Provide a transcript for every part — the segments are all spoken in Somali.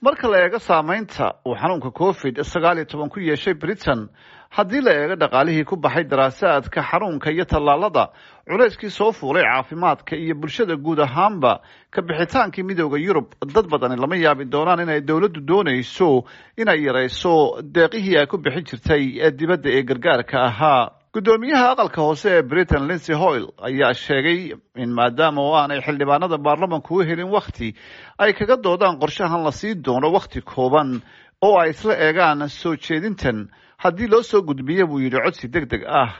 Marka la eego saameynta uu xanuunka COVID-19 ku yeeshay Britain, haddii la eego dhaqaalihii ku baxay daraasaadka xanuunka iyo tallaalada, culayskii soo fuulay caafimaadka iyo bulshada guud ahaanba, ka bixitaankii Midooda Yurub, dad badani lama yaabi doonaan inay dowladdu doonayso inay yarayso deeqihii ay ku bixin jirtay dibadda ee gargaarka ahaa. Guddoomiyaha aqalka hoose ee Britain, Lindsay Hoyle, ayaa sheegay in maadaama oo aanay xildhibaanada baarlamanku u helin wakhti ay kaga doodaan qorshahan, la sii doono wakhti kooban oo ay isla eegaan soo jeedintan haddii loo soo gudbiyo, buu yidhi, codsi deg deg ah.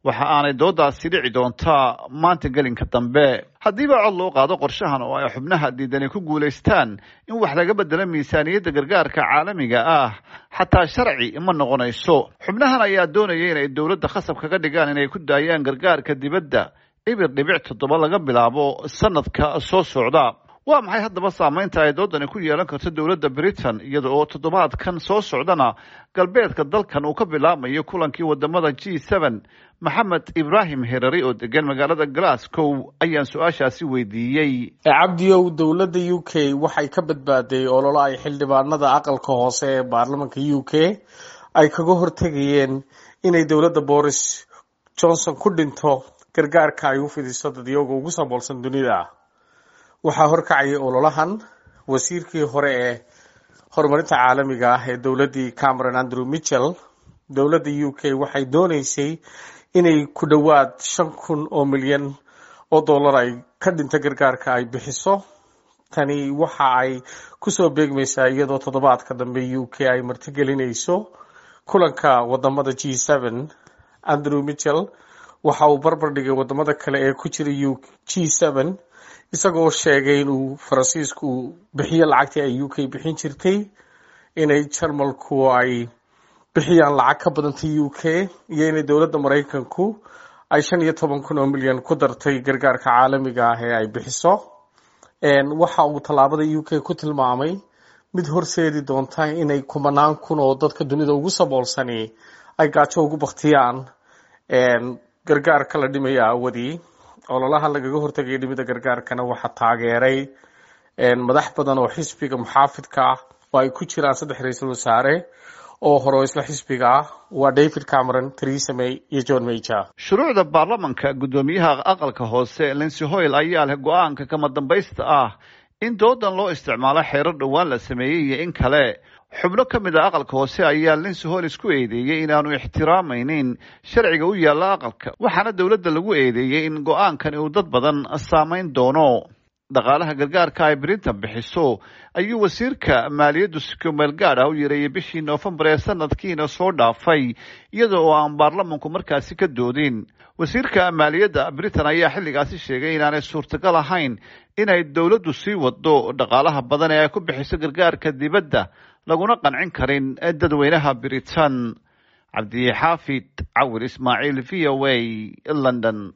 Waxa aanay doodaasi dhici doontaa maanta gelinka dambe. Haddiiba cod loo qaado qorshahan oo ay xubnaha diidani ku guulaystaan in wax laga bedelo miisaaniyadda gargaarka caalamiga ah, xataa sharci ma noqonayso. Xubnahan ayaa doonaya inay dowladda khasab kaga dhigaan inay ku daayaan gargaarka dibadda 0.7 laga bilaabo sanadka soo socda. Waa maxay haddaba saameynta ay doodani ku yeelan karto dowladda Britain, iyada oo toddobaadkan soo socdana galbeedka dalkan uu ka bilaabmayo kulankii wadamada G7? Maxamed Ibraahim Herari oo degan magaalada Glasgow ayaan su-aashaasi weydiiyey. Cabdiyow, dowladda UK waxay ka badbaaday ololo ay xildhibaanada aqalka hoose ee baarlamanka UK ay kaga hortegayeen inay dowladda Boris Johnson ku dhinto gargaarka ay u fidiso dadyoga ugu saboolsan dunida. Waxaa horkacayay ololahan wasiirkii hore ee horumarinta caalamiga ah ee dowladdii Cameron, Andrew Mitchell. Dowladda UK waxay dooneysay inay ku dhowaad 5,000 oo milyan oo dollar ay ka dhinto gargaarka ay bixiso. Tani waxa ay kusoo beegmaysaa iyadoo toddobaadka dambe UK ay martigelinayso kulanka wadamada G7. Andrew Mitchell waxa uu barbar dhigay wadamada kale ee ku jira G7, isagoo sheegay inuu Faransiisku bixiyo lacagtii ay UK bixin jirtay, inay Jarmalku ay bixiyaan lacag ka badantay UK, iyo inay dowladda Maraykanku ay 15,000 oo milyan ku dartay gargaarka caalamiga ah ee ay bixiso. Waxa uu tallaabada UK ku tilmaamay mid horseedi doonta inay kumanaan kun oo dadka dunida ugu saboolsani ay gaajo ugu baktiyaan gargaarka la dhimaya awadii. Ololaha lagaga hortagaya dhimida gargaarkana waxaa taageeray madax badan oo xisbiga muxaafidka ah, oo ay ku jiraan saddex ra-iisul wasaare oo hore oo isla xisbiga ah, waa David Cameron, Theresa May iyo John Major. Shuruucda baarlamanka, guddoomiyaha aqalka hoose Lindsay Hoyle ayaa leh go-aanka kama dambaysta ah in doodan loo isticmaalo xeerar dhowaan la sameeyey iyo in kale. Xubno ka mid a aqalka hoose ayaa Lindsay Hoyle isku eedeeyey inaanu ixtiraamaynin sharciga u yaalla aqalka, waxaana dowladda lagu eedeeyey in go-aankani uu dad badan saameyn doono. Dhaqaalaha gargaarka ay Britain bixiso ayuu wasiirka maaliyaddu si kumeel gaad ah u yareeyey bishii Noofembar ee sanadkiina soo dhaafay, iyada oo aan baarlamanku markaasi ka doodin. Wasiirka maaliyadda Britain ayaa xilligaasi sheegay inaanay suurtagal ahayn inay dowladdu sii wado dhaqaalaha badan ee ay ku bixiso gargaarka dibadda, laguna qancin karin dadweynaha Britain. Cabdixaafid Cawir Ismaaciil, VOA, London.